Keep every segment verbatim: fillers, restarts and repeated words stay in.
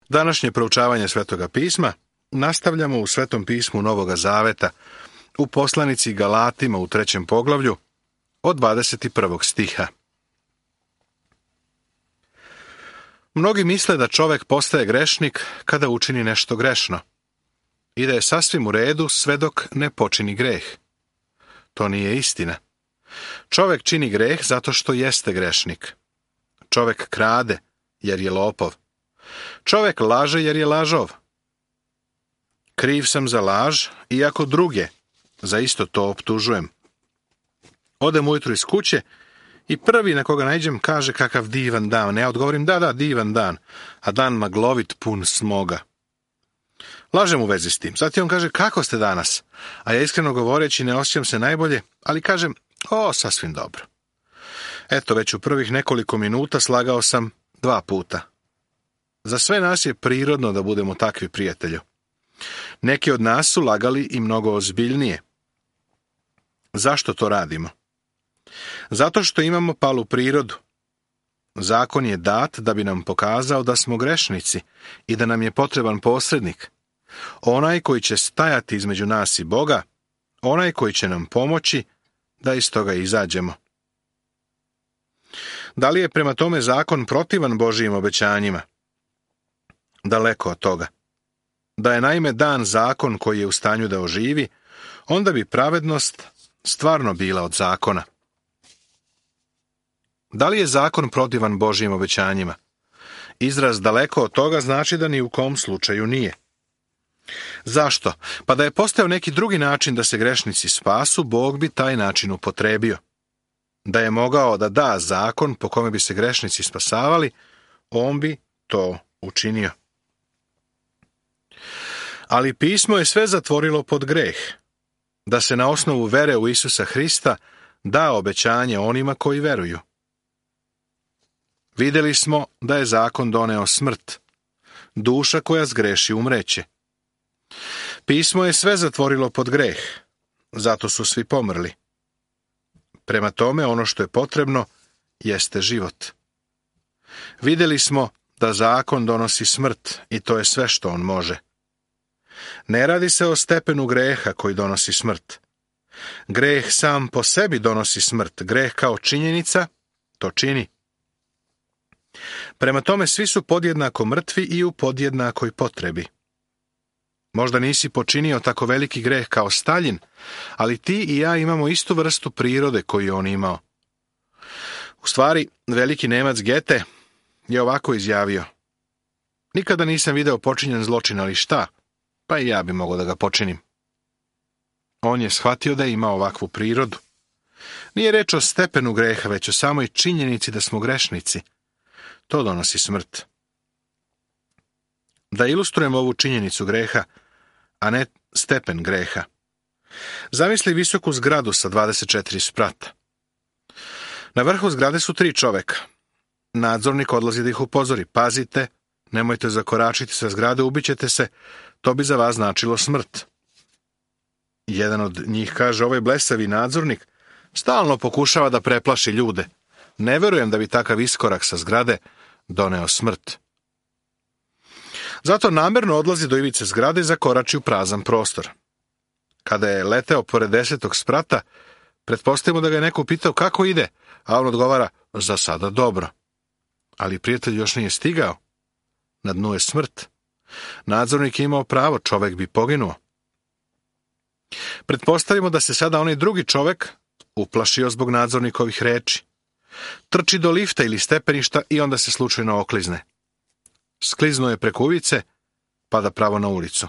Današnje proučavanje Svetoga pisma nastavljamo u Svetom pismu Novoga Zaveta, u poslanici Galatima u trećem poglavlju, od dvadeset prvog stiha. Mnogi misle da čovek postaje grešnik kada učini nešto grešno i da je sasvim u redu sve dok ne počini greh. To nije istina. Čovek čini greh zato što jeste grešnik. Čovek krade jer je lopov. Čovek laže jer je lažov. Kriv sam za laž, iako druge za isto to optužujem. Odem ujutru iz kuće i prvi na koga naiđem kaže kakav divan dan. Ja odgovorim da, da, divan dan, a dan maglovit pun smoga. Lažem u vezi s tim. Zatim on kaže kako ste danas, a ja iskreno govoreći ne osjećam se najbolje, ali kažem o, sasvim dobro. Eto, već u prvih nekoliko minuta slagao sam dva puta. Za sve nas je prirodno da budemo takvi, prijatelju. Neki od nas su lagali i mnogo ozbiljnije. Zašto to radimo? Zato što imamo palu prirodu. Zakon je dat da bi nam pokazao da smo grešnici i da nam je potreban posrednik. Onaj koji će stajati između nas i Boga, onaj koji će nam pomoći da iz toga izađemo. Da li je prema tome zakon protivan Božijim obećanjima? Daleko od toga. Da je naime dan zakon koji je u stanju da oživi, onda bi pravednost stvarno bila od zakona. Da li je zakon protivan Božijim obećanjima? Izraz daleko od toga znači da ni u kom slučaju nije. Zašto? Pa da je postojao neki drugi način da se grešnici spasu, Bog bi taj način upotrebio. Da je mogao da da zakon po kome bi se grešnici spasavali, on bi to učinio. Ali pismo je sve zatvorilo pod greh, da se na osnovu vere u Isusa Hrista da obećanje onima koji veruju. Vidjeli smo da je zakon doneo smrt. Duša koja zgreši umreće. Pismo je sve zatvorilo pod greh, zato su svi pomrli. Prema tome, ono što je potrebno jeste život. Vidjeli smo da zakon donosi smrt i to je sve što on može. Ne radi se o stepenu greha koji donosi smrt. Greh sam po sebi donosi smrt. Greh kao činjenica to čini. Prema tome, svi su podjednako mrtvi i u podjednakoj potrebi. Možda nisi počinio tako veliki greh kao Staljin, ali ti i ja imamo istu vrstu prirode koju je on imao. U stvari, veliki Nemac Goethe je ovako izjavio: nikada nisam video počinjen zločin, ali šta? Pa i ja bi mogao da ga počinim. On je shvatio da ima ovakvu prirodu. Nije reč o stepenu greha, već o samoj činjenici da smo grešnici. To donosi smrt. Da ilustrujemo ovu činjenicu greha, a ne stepen greha. Zamisli visoku zgradu sa dvadeset četiri sprata. Na vrhu zgrade su tri čoveka. Nadzornik odlazi da ih upozori. Pazite, nemojte zakoračiti sa zgrade, ubićete se, to bi za vas značilo smrt. Jedan od njih kaže: ovaj blesavi nadzornik stalno pokušava da preplaši ljude. Ne verujem da bi takav iskorak sa zgrade doneo smrt. Zato namerno odlazi do ivice zgrade i zakorači u prazan prostor. Kada je leteo pored desetog sprata, pretpostavimo da ga je neko pitao kako ide, a on odgovara: za sada dobro. Ali prijatelj još nije stigao. Na dnu je smrt. Nadzornik je imao pravo, čovek bi poginuo. Pretpostavimo da se sada onaj drugi čovek uplašio zbog nadzornikovih reči. Trči do lifta ili stepeništa i onda se slučajno oklizne. Skliznuo je preko ulice, pada pravo na ulicu.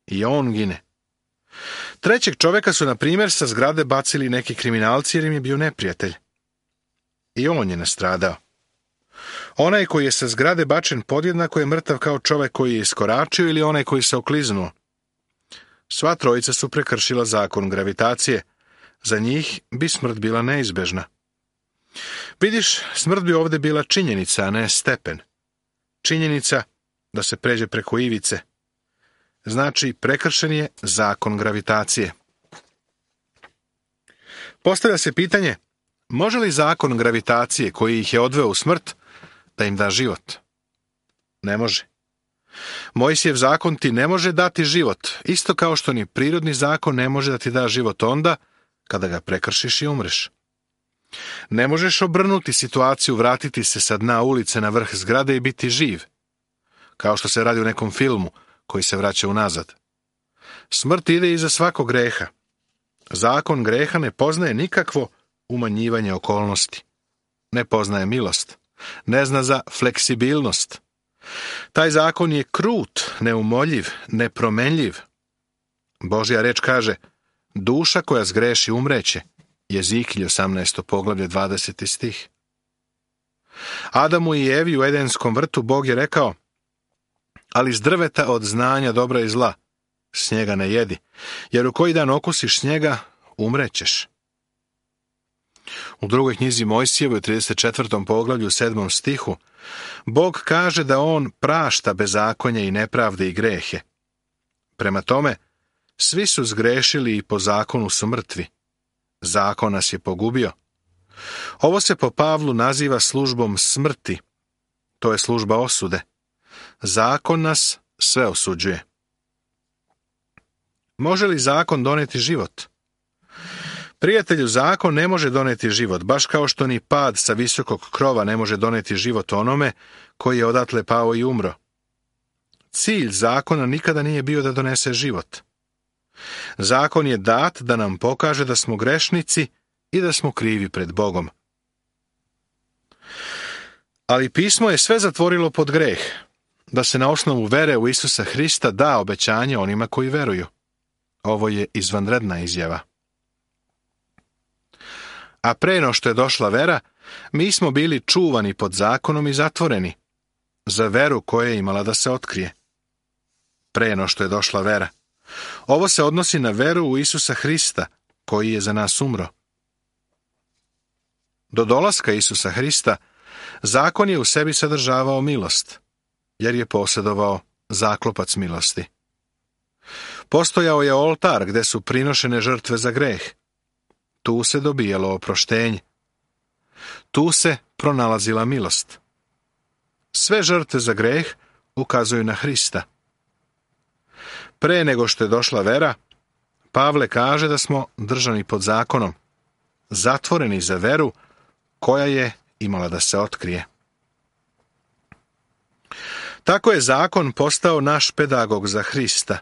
I on gine. Trećeg čoveka su, na primjer, sa zgrade bacili neki kriminalci jer im je bio neprijatelj. I on je nastradao. Onaj koji je sa zgrade bačen podjednako je mrtav kao čovek koji je iskoračio ili onaj koji se okliznuo. Sva trojica su prekršila zakon gravitacije. Za njih bi smrt bila neizbežna. Vidiš, smrt bi ovdje bila činjenica, a ne stepen. Činjenica da se pređe preko ivice. Znači, prekršen je zakon gravitacije. Postavlja se pitanje, može li zakon gravitacije koji ih je odveo u smrt da im da život? Ne može. Mojsijev zakon ti ne može dati život, isto kao što ni prirodni zakon ne može da ti da život onda kada ga prekršiš i umreš. Ne možeš obrnuti situaciju, vratiti se sa dna ulice na vrh zgrade i biti živ, kao što se radi u nekom filmu koji se vraća unazad. Smrt ide iza svakog greha. Zakon greha ne poznaje nikakvo umanjivanje okolnosti. Ne poznaje milost. Ne zna za fleksibilnost. Taj zakon je krut, neumoljiv, nepromenljiv. Božja reč kaže, duša koja zgreši umreće. Jezikilj osamnaesto poglavlje dvadeseti stih. Adamu i Evi u Edenskom vrtu Bog je rekao, ali s drveta od znanja dobra i zla s njega ne jedi, jer u koji dan okusiš s njega, umrećeš. U drugoj knjizi Mojsijevoj, u trideset četvrtom poglavlju, sedmom stihu, Bog kaže da on prašta bezakonje i nepravde i grehe. Prema tome, svi su zgrešili i po zakonu su mrtvi. Zakon nas je pogubio. Ovo se po Pavlu naziva službom smrti. To je služba osude. Zakon nas sve osuđuje. Može li zakon doneti život? Prijatelju, zakon ne može doneti život, baš kao što ni pad sa visokog krova ne može doneti život onome koji je odatle pao i umro. Cilj zakona nikada nije bio da donese život. Zakon je dat da nam pokaže da smo grešnici i da smo krivi pred Bogom. Ali pismo je sve zatvorilo pod greh, da se na osnovu vere u Isusa Hrista da obećanje onima koji veruju. Ovo je izvanredna izjava. A pre no što je došla vera, mi smo bili čuvani pod zakonom i zatvoreni, za veru koja je imala da se otkrije. Pre no što je došla vera. Ovo se odnosi na veru u Isusa Hrista, koji je za nas umro. Do dolaska Isusa Hrista, zakon je u sebi sadržavao milost, jer je posjedovao zaklopac milosti. Postojao je oltar gde su prinošene žrtve za greh. Tu se dobijalo oproštenje. Tu se pronalazila milost. Sve žrtve za greh ukazuju na Hrista. Pre nego što je došla vera, Pavle kaže da smo držani pod zakonom, zatvoreni za veru koja je imala da se otkrije. Tako je zakon postao naš pedagog za Hrista,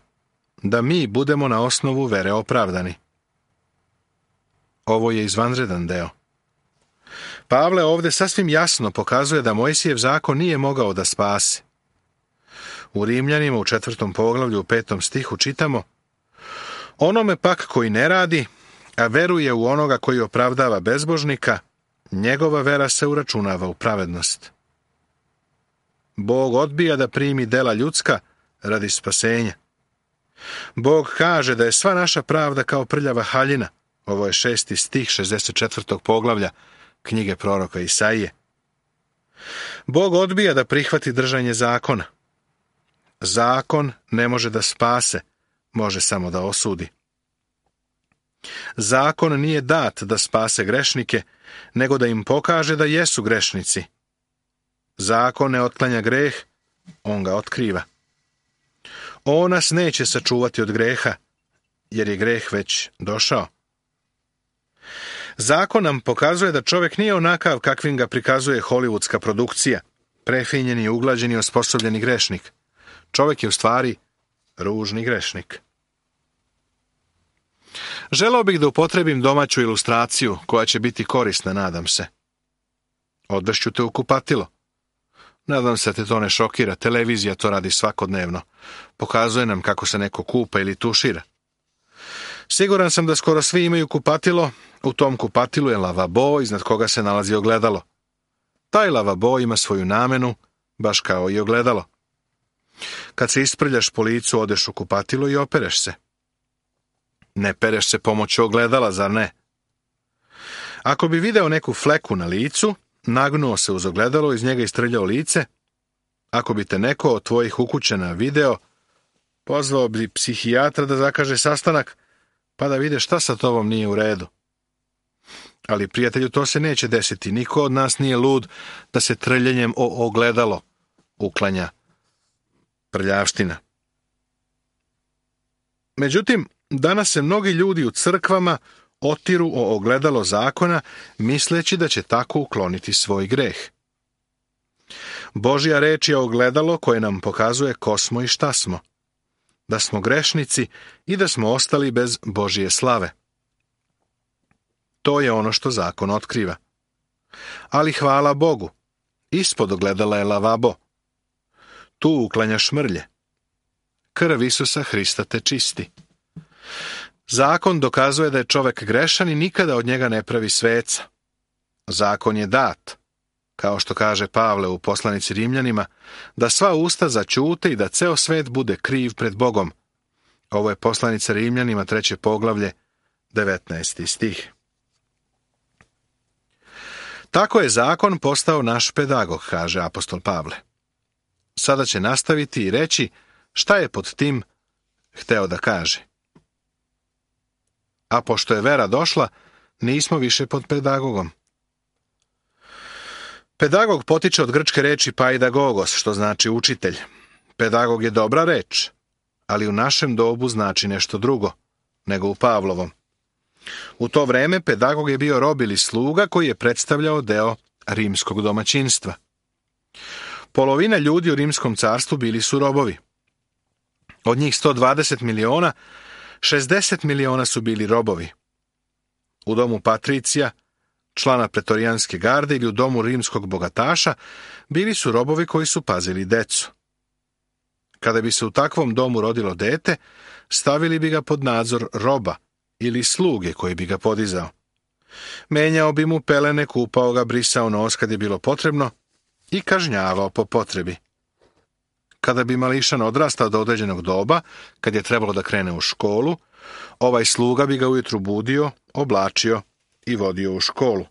da mi budemo na osnovu vere opravdani. Ovo je izvanredan deo. Pavle ovdje sasvim jasno pokazuje da Mojsijev zakon nije mogao da spase. U Rimljanima u četvrtom poglavlju u petom stihu čitamo: onome pak koji ne radi, a veruje u onoga koji opravdava bezbožnika, njegova vera se uračunava u pravednost. Bog odbija da primi dela ljudska radi spasenja. Bog kaže da je sva naša pravda kao prljava haljina. Ovo je šesti stih šezdeset četvrtog poglavlja knjige proroka Isaije. Bog odbija da prihvati držanje zakona. Zakon ne može da spase, može samo da osudi. Zakon nije dat da spase grešnike, nego da im pokaže da jesu grešnici. Zakon ne otklanja greh, on ga otkriva. On nas neće sačuvati od greha, jer je greh već došao. Zakon nam pokazuje da čovjek nije onakav kakvim ga prikazuje hollywoodska produkcija, prefinjeni, uglađeni, osposobljeni grešnik. Čovjek je u stvari ružni grešnik. Želeo bih da upotrebim domaću ilustraciju koja će biti korisna, nadam se. Odvešću te u kupatilo. Nadam se da te to ne šokira, televizija to radi svakodnevno. Pokazuje nam kako se neko kupa ili tušira. Siguran sam da skoro svi imaju kupatilo, u tom kupatilu je lavabo iznad koga se nalazi ogledalo. Taj lavabo ima svoju namenu, baš kao i ogledalo. Kad se isprljaš po licu, odeš u kupatilo i opereš se. Ne pereš se pomoću ogledala, zar ne? Ako bi video neku fleku na licu, nagnuo se uz ogledalo, iz njega istrljao lice, ako bi te neko od tvojih ukućana video, pozvao bi psihijatra da zakaže sastanak, pa da vide šta sa tobom nije u redu. Ali, prijatelju, to se neće desiti. Niko od nas nije lud da se trljenjem o ogledalo uklanja prljavština. Međutim, danas se mnogi ljudi u crkvama otiru o ogledalo zakona, misleći da će tako ukloniti svoj greh. Božja reč je ogledalo koje nam pokazuje ko smo i šta smo, da smo grešnici i da smo ostali bez Božje slave. To je ono što zakon otkriva. Ali hvala Bogu, ispod ogledala je lavabo. Tu uklanjaš mrlje. Krv Isusa Hrista te čisti. Zakon dokazuje da je čovjek grešan i nikada od njega ne pravi sveca. Zakon je dat, kao što kaže Pavle u poslanici Rimljanima, da sva usta zaćute i da ceo svet bude kriv pred Bogom. Ovo je poslanica Rimljanima, treće poglavlje, devetnaesti stih. Tako je zakon postao naš pedagog, kaže apostol Pavle. Sada će nastaviti i reći šta je pod tim hteo da kaže. A pošto je vera došla, nismo više pod pedagogom. Pedagog potiče od grčke reči paidagogos, što znači učitelj. Pedagog je dobra reč, ali u našem dobu znači nešto drugo, nego u Pavlovom. U to vreme pedagog je bio rob ili sluga koji je predstavljao deo rimskog domaćinstva. Polovina ljudi u rimskom carstvu bili su robovi. Od njih sto dvadeset miliona, šezdeset miliona su bili robovi. U domu patricija, člana pretorijanske garde ili u domu rimskog bogataša, bili su robovi koji su pazili decu. Kada bi se u takvom domu rodilo dete, stavili bi ga pod nadzor roba ili sluge koji bi ga podizao. Menjao bi mu pelene, kupao ga, brisao nos kad je bilo potrebno i kažnjavao po potrebi. Kada bi mališan odrastao do određenog doba, kad je trebalo da krene u školu, ovaj sluga bi ga ujutru budio, oblačio i vodio u školu.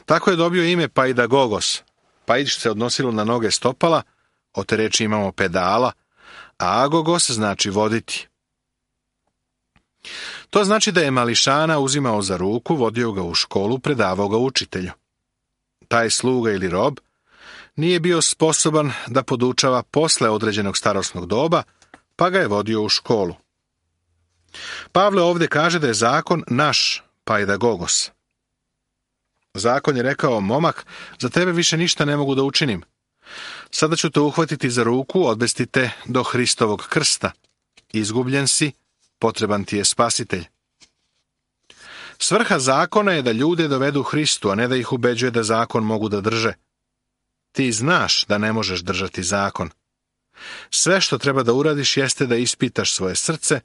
Tako je dobio ime paidagogos. Paić se odnosilo na noge stopala, od te reči imamo pedala, a agogos znači voditi. To znači da je mališana uzimao za ruku, vodio ga u školu, predavao ga učitelju. Taj sluga ili rob nije bio sposoban da podučava posle određenog starosnog doba, pa ga je vodio u školu. Pavle ovdje kaže da je zakon naš paidagogos. Zakon je rekao, momak, za tebe više ništa ne mogu da učinim. Sada ću te uhvatiti za ruku, odvesti te do Hristovog krsta. Izgubljen si, potreban ti je spasitelj. Svrha zakona je da ljude dovedu Hristu, a ne da ih ubeđuje da zakon mogu da drže. Ti znaš da ne možeš držati zakon. Sve što treba da uradiš jeste da ispitaš svoje srce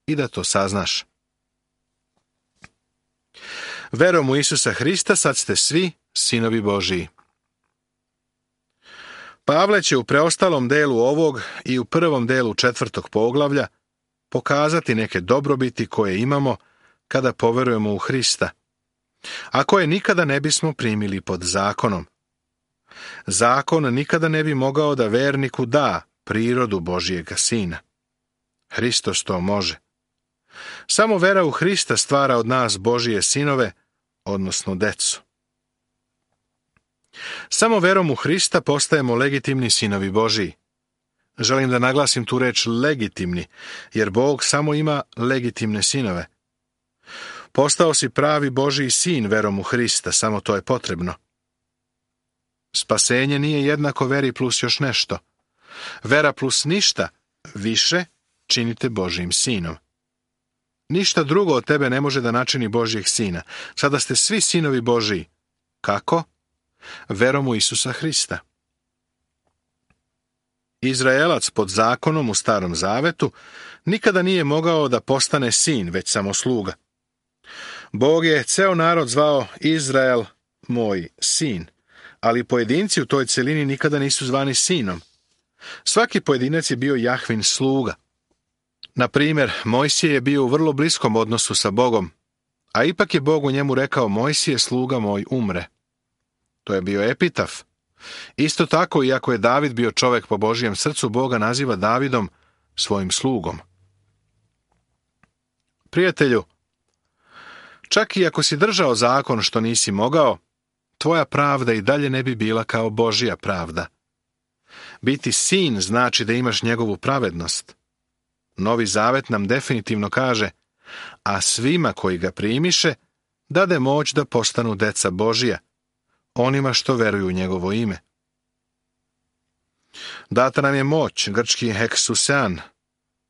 i da to saznaš. Verom u Isusa Hrista sad ste svi sinovi Božiji. Pavle će u preostalom delu ovog i u prvom delu četvrtog poglavlja pokazati neke dobrobiti koje imamo kada poverujemo u Hrista, a koje nikada ne bismo primili pod zakonom. Zakon nikada ne bi mogao da verniku da prirodu Božijega Sina. Hristos to može. Samo vera u Hrista stvara od nas Božije sinove, odnosno decu. Samo verom u Hrista postajemo legitimni sinovi Božiji. Želim da naglasim tu reč legitimni, jer Bog samo ima legitimne sinove. Postao si pravi Božiji sin verom u Hrista, samo to je potrebno. Spasenje nije jednako veri plus još nešto. Vera plus ništa više činite Božijim sinom. Ništa drugo od tebe ne može da načini Božijeg sina. Sada ste svi sinovi Božiji. Kako? Verom u Isusa Hrista. Izraelac pod zakonom u Starom Zavetu nikada nije mogao da postane sin, već samo sluga. Bog je ceo narod zvao Izrael, moj sin, ali pojedinci u toj celini nikada nisu zvani sinom. Svaki pojedinac je bio Jahvin sluga. Na primjer, Mojsije je bio u vrlo bliskom odnosu sa Bogom, a ipak je Bog u njemu rekao, Mojsije, sluga moj, umre. To je bio epitaf. Isto tako, iako je David bio čovek po Božijem srcu, Boga naziva Davidom svojim slugom. Prijatelju, čak i ako si držao zakon što nisi mogao, tvoja pravda i dalje ne bi bila kao Božija pravda. Biti sin znači da imaš njegovu pravednost. Novi Zavet nam definitivno kaže, a svima koji ga primiše, dade moć da postanu deca Božija, onima što veruju u njegovo ime. Data nam je moć, grčki heksusean,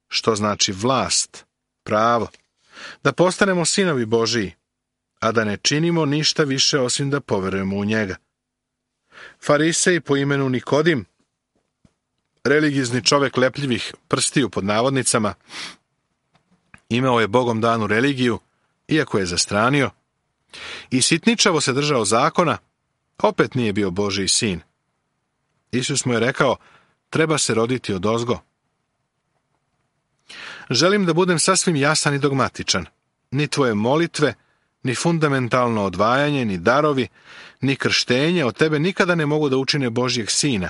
što znači vlast, pravo, da postanemo sinovi Božiji, a da ne činimo ništa više osim da poverujemo u njega. Farisej po imenu Nikodim, religiozni čovjek lepljivih prstiju pod navodnicama, imao je Bogom danu religiju, iako je zastranio, i sitničavo se držao zakona, opet nije bio Božji sin. Isus mu je rekao, treba se roditi odozgo. Želim da budem sasvim jasan i dogmatičan. Ni tvoje molitve, ni fundamentalno odvajanje, ni darovi, ni krštenje od tebe nikada ne mogu da učine Božjeg sina.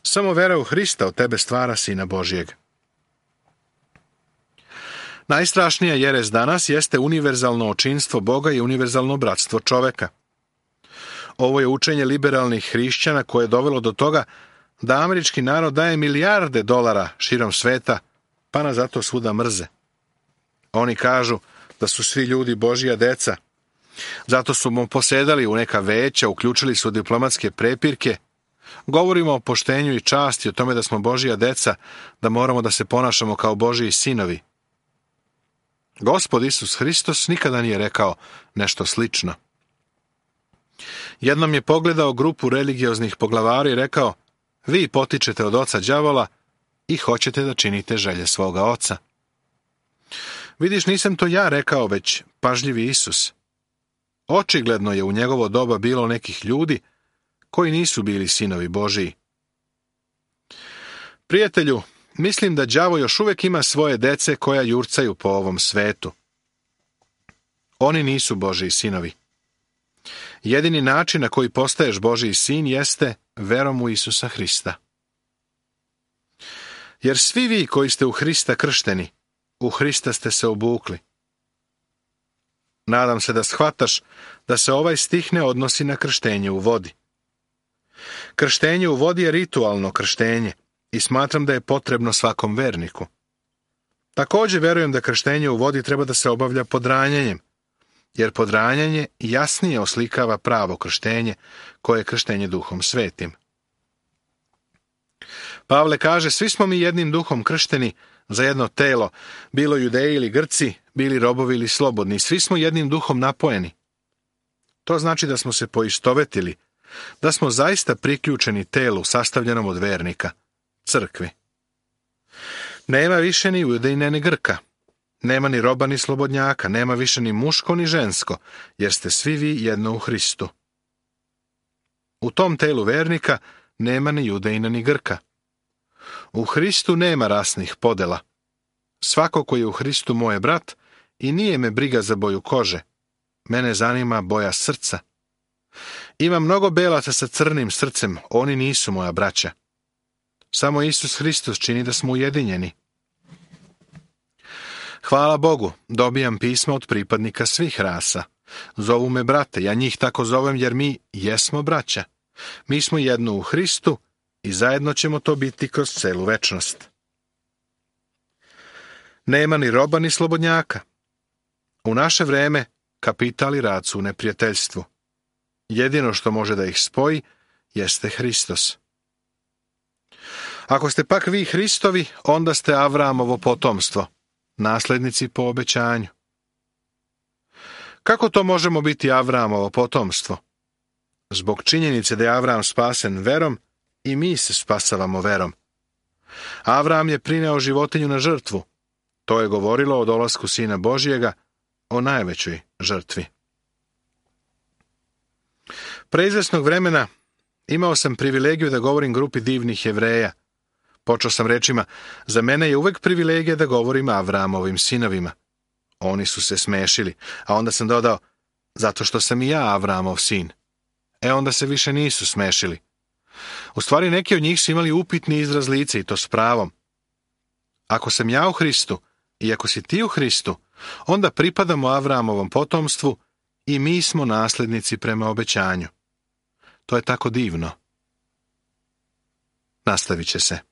Samo vera u Hrista od tebe stvara sina Božjeg. Najstrašnija jerez danas jeste univerzalno očinstvo Boga i univerzalno bratstvo čoveka. Ovo je učenje liberalnih hrišćana koje je dovelo do toga da američki narod daje milijarde dolara širom sveta, pa nas zato svuda mrze. Oni kažu da su svi ljudi Božja deca. Zato su mu posedali u neka veća, uključili su diplomatske prepirke. Govorimo o poštenju i časti, o tome da smo Božja deca, da moramo da se ponašamo kao Božji sinovi. Gospod Isus Hristos nikada nije rekao nešto slično. Jednom je pogledao grupu religioznih poglavari i rekao, vi potičete od oca đavola i hoćete da činite želje svoga oca. Vidiš, nisam to ja rekao, već pažljivi Isus. Očigledno je u njegovo doba bilo nekih ljudi koji nisu bili sinovi Božiji. Prijatelju, mislim da đavo još uvijek ima svoje dece koja jurcaju po ovom svetu. Oni nisu Božji sinovi. Jedini način na koji postaješ Božji sin jeste verom u Isusa Hrista. Jer svi vi koji ste u Hrista kršteni, u Hrista ste se obukli. Nadam se da shvataš da se ovaj stih ne odnosi na krštenje u vodi. Krštenje u vodi je ritualno krštenje i smatram da je potrebno svakom verniku. Također verujem da krštenje u vodi treba da se obavlja pod ranjenjem, jer podranjanje jasnije oslikava pravo krštenje, koje je krštenje Duhom Svetim. Pavle kaže, svi smo mi jednim duhom kršteni za jedno telo, bilo Judeji ili Grci, bili robovi ili slobodni, svi smo jednim duhom napojeni. To znači da smo se poistovetili, da smo zaista priključeni telu sastavljenom od vernika, crkvi. Nema više ni Judejine ni Grka. Nema ni roba ni slobodnjaka, nema više ni muško ni žensko, jer ste svi vi jedno u Hristu. U tom telu vernika nema ni Judejina ni Grka. U Hristu nema rasnih podela. Svako koji je u Hristu moj je brat i nije me briga za boju kože. Mene zanima boja srca. Ima mnogo belaca sa crnim srcem, oni nisu moja braća. Samo Isus Hristos čini da smo ujedinjeni. Hvala Bogu, dobijam pisma od pripadnika svih rasa. Zovu me brate, ja njih tako zovem jer mi jesmo braća. Mi smo jedno u Hristu i zajedno ćemo to biti kroz celu večnost. Nema ni roba ni slobodnjaka. U naše vreme kapital i rad su u neprijateljstvu. Jedino što može da ih spoji jeste Hristos. Ako ste pak vi Hristovi, onda ste Avramovo potomstvo, naslednici po obećanju. Kako to možemo biti Avramovo potomstvo? Zbog činjenice da je Avram spasen verom, i mi se spasavamo verom. Avram je prineo životinju na žrtvu. To je govorilo o dolasku Sina Božjega, o najvećoj žrtvi. Pre izvesnog vremena imao sam privilegiju da govorim grupi divnih Jevreja. Počeo sam rečima, za mene je uvek privilegija da govorim Avramovim sinovima. Oni su se smešili, a onda sam dodao, zato što sam i ja Avramov sin. E onda se više nisu smešili. U stvari neki od njih su imali upitni izraz lica i to s pravom. Ako sam ja u Hristu i ako si ti u Hristu, onda pripadamo Avramovom potomstvu i mi smo naslednici prema obećanju. To je tako divno. Nastavit će se.